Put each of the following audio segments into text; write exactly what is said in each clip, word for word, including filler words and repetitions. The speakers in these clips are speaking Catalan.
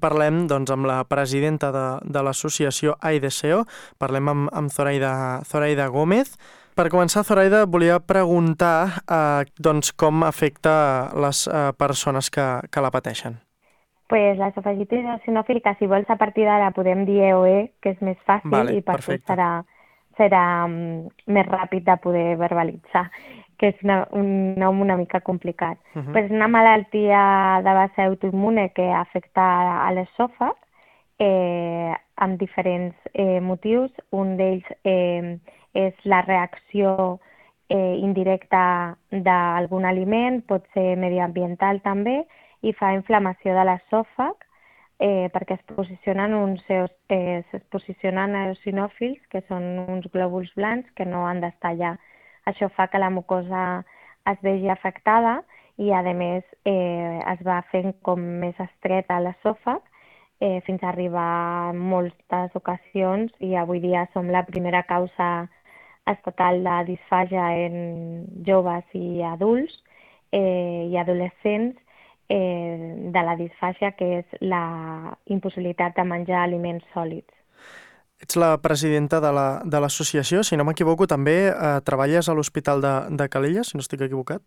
Parlem doncs, amb la presidenta de, de l'associació AIDESEO, parlem amb, amb Zoraida, Zoraida Gómez. Per començar, Zoraida, volia preguntar eh, doncs, com afecta les eh, persones que, que la pateixen. Pues la esofagitis eosinofílica, si vols, a partir d'ara podem dir E O E, que és més fàcil Vale, i per tu perfecte. serà, serà um, més ràpid de poder verbalitzar, que és una, un nom una mica complicat. Uh -huh. Pues és una malaltia de base autoimmune que afecta a l'esòfag eh, amb diferents eh, motius. Un d'ells eh, és la reacció eh, indirecta d'algun aliment, pot ser mediambiental també, i fa inflamació de l'esòfag eh, perquè es posicionen uns eos, eh, es posicionen eosinòfils, que són uns glòbuls blancs que no han d'estar allà. Això fa que la mucosa es vegi afectada i, a més, eh, es va fent com més estreta l'esòfag eh, fins a arribar en moltes ocasions, i avui dia som la primera causa estatal de disfàgia en joves i adults eh, i adolescents eh, de la disfàgia, que és la impossibilitat de menjar aliments sòlids. Ets la presidenta de la, de l'associació, si no m'equivoco, també eh, treballes a l'Hospital de, de Calella, si no estic equivocat?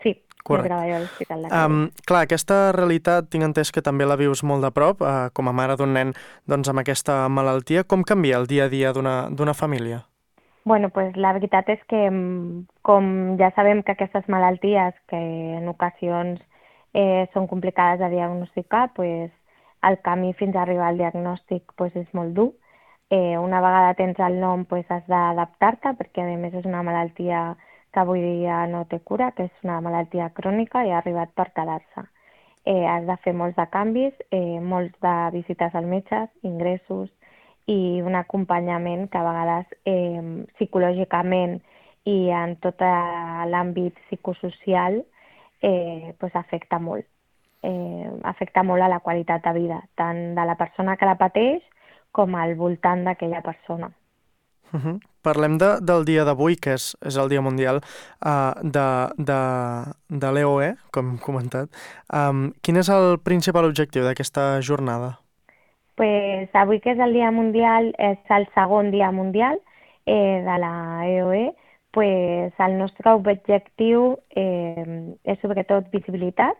Sí, jo Correcte. treballo a l'Hospital de Um, Calella. clar, aquesta realitat tinc entès que també la vius molt de prop, uh, com a mare d'un nen doncs, amb aquesta malaltia. Com canvia el dia a dia d'una d'una família? Bueno, pues la veritat és que, mm, com ja sabem que aquestes malalties, que en ocasions eh, són complicades de diagnosticar, pues el camí fins a arribar al diagnòstic pues, és molt dur. Eh, una vegada tens el nom, pues, has d'adaptar-te, perquè a més és una malaltia que avui dia no té cura, que és una malaltia crònica i ha arribat per quedar-se. Eh, has de fer molts de canvis, eh, molts de visites al metge, ingressos, i un acompanyament que a vegades eh, psicològicament i en tot l'àmbit psicosocial eh, pues afecta molt. Eh, afecta molt a la qualitat de vida, tant de la persona que la pateix com al voltant d'aquella persona. Uh -huh. Parlem de, del dia d'avui, que és, és el Dia Mundial uh, de, de, de l'E O E, com hem comentat. Um, quin és el principal objectiu d'aquesta jornada? Pues avui, que és el Dia Mundial, és el segon Dia Mundial eh, de la E O E, pues el nostre objectiu eh, és sobretot visibilitat,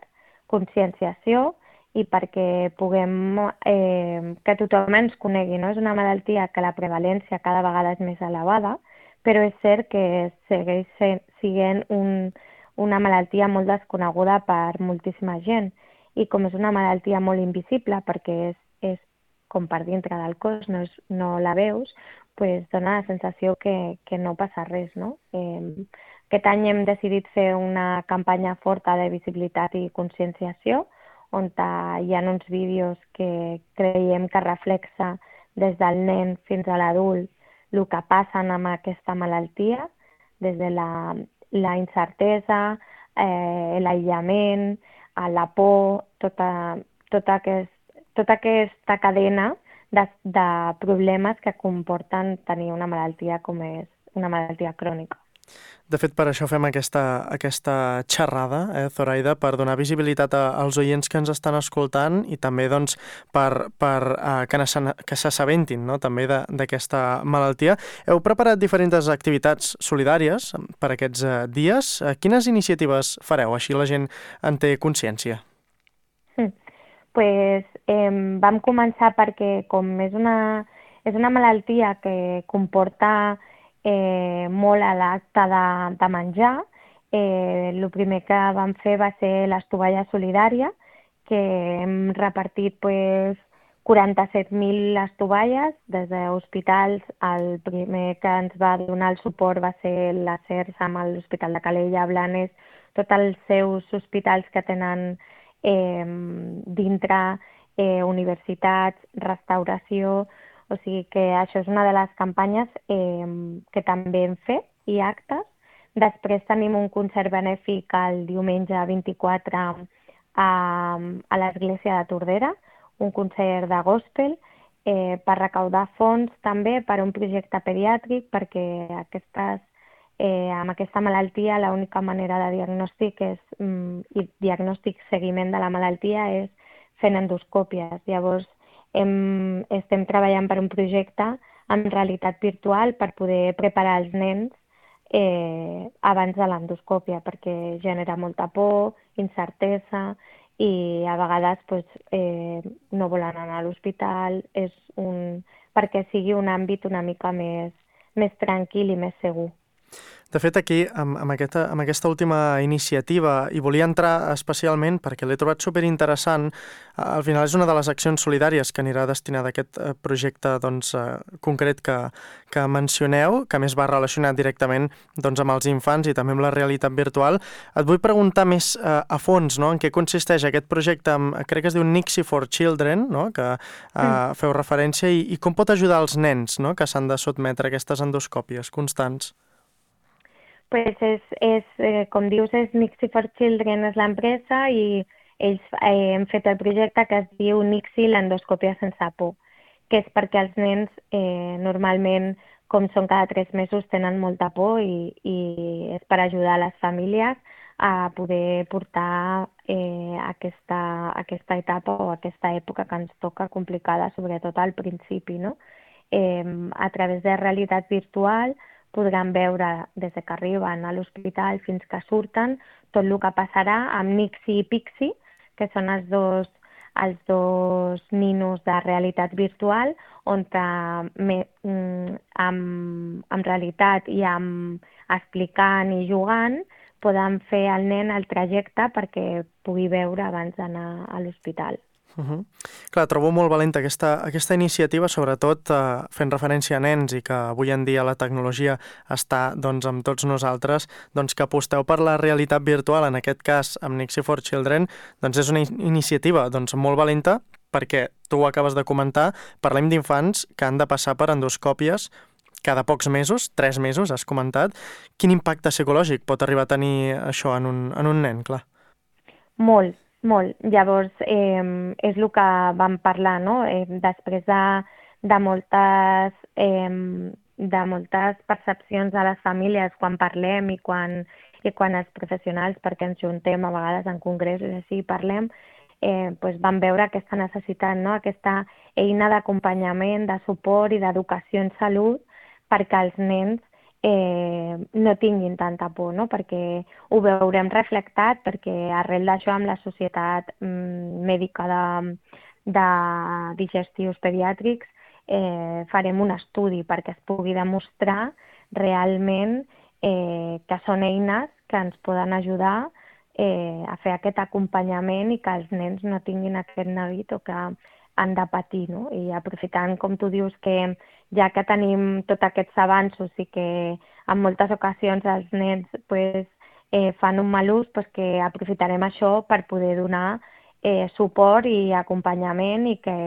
conscienciació, i perquè puguem eh, que tothom ens conegui, no? És una malaltia que la prevalència cada vegada és més elevada, però és cert que segueix sent un, una malaltia molt desconeguda per moltíssima gent, i com és una malaltia molt invisible perquè és, és com per dintre del cos, no, és, no la veus, pues dona la sensació que, que no passa res, no? Eh, aquest any hem decidit fer una campanya forta de visibilitat i conscienciació, on hi ha uns vídeos que creiem que reflexa des del nen fins a l'adult el que passa amb aquesta malaltia, des de la, la incertesa, eh, l'aïllament, la por, tota, tota, aquest, tota aquesta cadena de, de problemes que comporten tenir una malaltia com és una malaltia crònica. De fet, per això fem aquesta, aquesta xerrada, eh, Zoraida, per donar visibilitat a, als oients que ens estan escoltant i també doncs, per, per uh, que s'assabentin, no?, també d'aquesta malaltia. Heu preparat diferents activitats solidàries per aquests uh, dies. Uh, quines iniciatives fareu? Així la gent en té consciència. Mm. Pues, eh, vam començar perquè, com és una, és una malaltia que comporta Eh, molt a l'acte de, de menjar, eh, el primer que vam fer va ser les tovalles solidàries, que hem repartit pues, quaranta-set mil tovalles des d'hospitals. El primer que ens va donar el suport va ser la C E R S amb l'Hospital de Calella, Blanes, tots els seus hospitals que tenen eh, dintre eh, universitats, restauració. O sigui que això és una de les campanyes eh, que també hem fet, i actes. Després tenim un concert benèfic el diumenge vint-i-quatre a, a l'església de Tordera, un concert de gospel, eh, per recaudar fons també per a un projecte pediàtric, perquè aquestes, eh, amb aquesta malaltia l'única manera de diagnòstic és, mm, i diagnòstic seguiment de la malaltia és fent endoscòpies. Llavors, hem, estem treballant per un projecte amb realitat virtual per poder preparar els nens eh, abans de l'endoscòpia, perquè genera molta por, incertesa, i a vegades pues, eh, no volen anar a l'hospital, és un, perquè sigui un àmbit una mica més, més tranquil i més segur. De fet, aquí, amb, amb, aquesta, amb aquesta última iniciativa, hi volia entrar especialment perquè l'he trobat superinteressant. Al final és una de les accions solidàries que anirà destinada a aquest projecte doncs, concret que, que mencioneu, que més va relacionat directament doncs, amb els infants i també amb la realitat virtual. Et vull preguntar més eh, a fons, no?, en què consisteix aquest projecte, amb, crec que es diu Nixie for Children, no?, que eh, mm. feu referència, i, i com pot ajudar els nens, no?, que s'han de sotmetre a aquestes endoscòpies constants. Pues és, és eh, com dius, és Nixie for Children és l'empresa i ells eh, han fet el projecte que es diu Nixie l'endoscòpia sense por, que és perquè els nens eh, normalment, com són cada tres mesos, tenen molta por i, i és per ajudar les famílies a poder portar eh, aquesta, aquesta etapa o aquesta època que ens toca complicada, sobretot al principi, no? Eh, a través de realitat virtual podran veure des que arriben a l'hospital fins que surten tot el que passarà amb Nixie i Pixie, que són els dos, els dos ninos de realitat virtual, on me, amb, amb realitat i amb explicant i jugant poden fer al nen el trajecte perquè pugui veure abans d'anar a l'hospital. Uh -huh. Clar, trobo molt valenta aquesta, aquesta iniciativa, sobretot eh, fent referència a nens i que avui en dia la tecnologia està doncs, amb tots nosaltres, doncs que aposteu per la realitat virtual, en aquest cas amb Nixie for Children, doncs és una in iniciativa doncs, molt valenta perquè, tu ho acabes de comentar, parlem d'infants que han de passar per endoscòpies cada pocs mesos, tres mesos, has comentat. Quin impacte psicològic pot arribar a tenir això en un, en un nen, clar? Molt. Molt. Llavors, eh, és el que vam parlar, no? Eh, després de, de, moltes, eh, de moltes percepcions de les famílies quan parlem i quan, i quan els professionals, perquè ens juntem a vegades en congressos i així parlem, eh, doncs vam veure aquesta necessitat, no? Aquesta eina d'acompanyament, de suport i d'educació en salut perquè els nens Eh, no tinguin tanta por, no? Perquè ho veurem reflectat, perquè arrel d'això amb la Societat mm, Mèdica de, de Digestius Pediàtrics eh, farem un estudi perquè es pugui demostrar realment eh, que són eines que ens poden ajudar eh, a fer aquest acompanyament i que els nens no tinguin aquest neguit o que han de patir, no? I aprofitant, com tu dius, que ja que tenim tots aquests avanços i que en moltes ocasions els nens pues, eh, fan un mal ús, pues que aprofitarem això per poder donar eh, suport i acompanyament i que,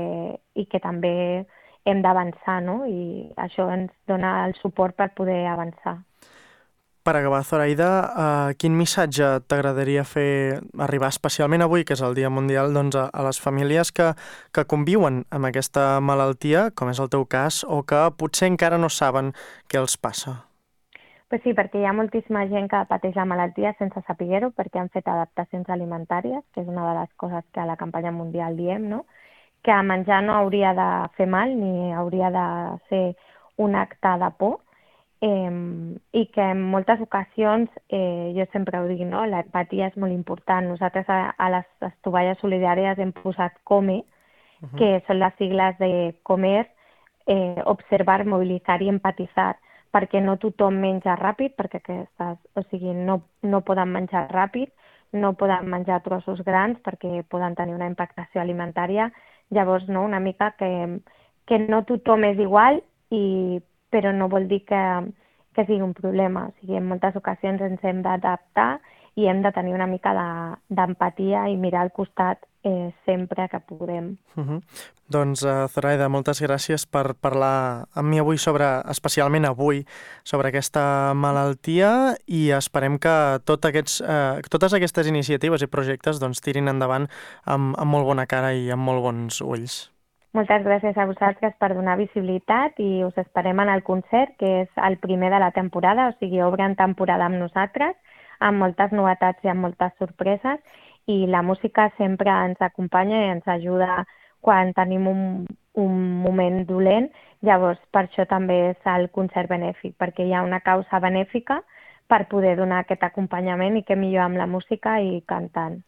i que també hem d'avançar, no? I això ens dona el suport per poder avançar. Per acabar, Zoraida, uh, quin missatge t'agradaria fer arribar especialment avui, que és el Dia Mundial, doncs, a, a les famílies que, que conviuen amb aquesta malaltia, com és el teu cas, o que potser encara no saben què els passa? Pues sí, perquè hi ha moltíssima gent que pateix la malaltia sense saber-ho, perquè han fet adaptacions alimentàries, que és una de les coses que a la campanya mundial diem, no? Que menjar no hauria de fer mal ni hauria de ser un acte de por, Eh, i que en moltes ocasions, eh, jo sempre ho dic, no? L'empatia és molt important. Nosaltres a, a les estovalles solidàries hem posat COME, uh-huh. que són les sigles de comer, eh, observar, mobilitzar i empatitzar, perquè no tothom menja ràpid, perquè aquestes, o sigui, no, no poden menjar ràpid, no poden menjar trossos grans perquè poden tenir una impactació alimentària. Llavors, no? Una mica que, que no tothom és igual i però no vol dir que, que sigui un problema. O sigui, en moltes ocasions ens hem d'adaptar i hem de tenir una mica d'empatia de, i mirar al costat eh, sempre que podem. Uh -huh. Doncs, uh, Zoraida, moltes gràcies per parlar amb mi avui, sobre, especialment avui, sobre aquesta malaltia, i esperem que tot aquests, uh, totes aquestes iniciatives i projectes doncs, tirin endavant amb, amb molt bona cara i amb molt bons ulls. Moltes gràcies a vosaltres per donar visibilitat i us esperem en el concert, que és el primer de la temporada, o sigui, obren temporada amb nosaltres, amb moltes novetats i amb moltes sorpreses, i la música sempre ens acompanya i ens ajuda quan tenim un, un moment dolent. Llavors, per això també és el concert benèfic, perquè hi ha una causa benèfica per poder donar aquest acompanyament i què millor amb la música i cantant.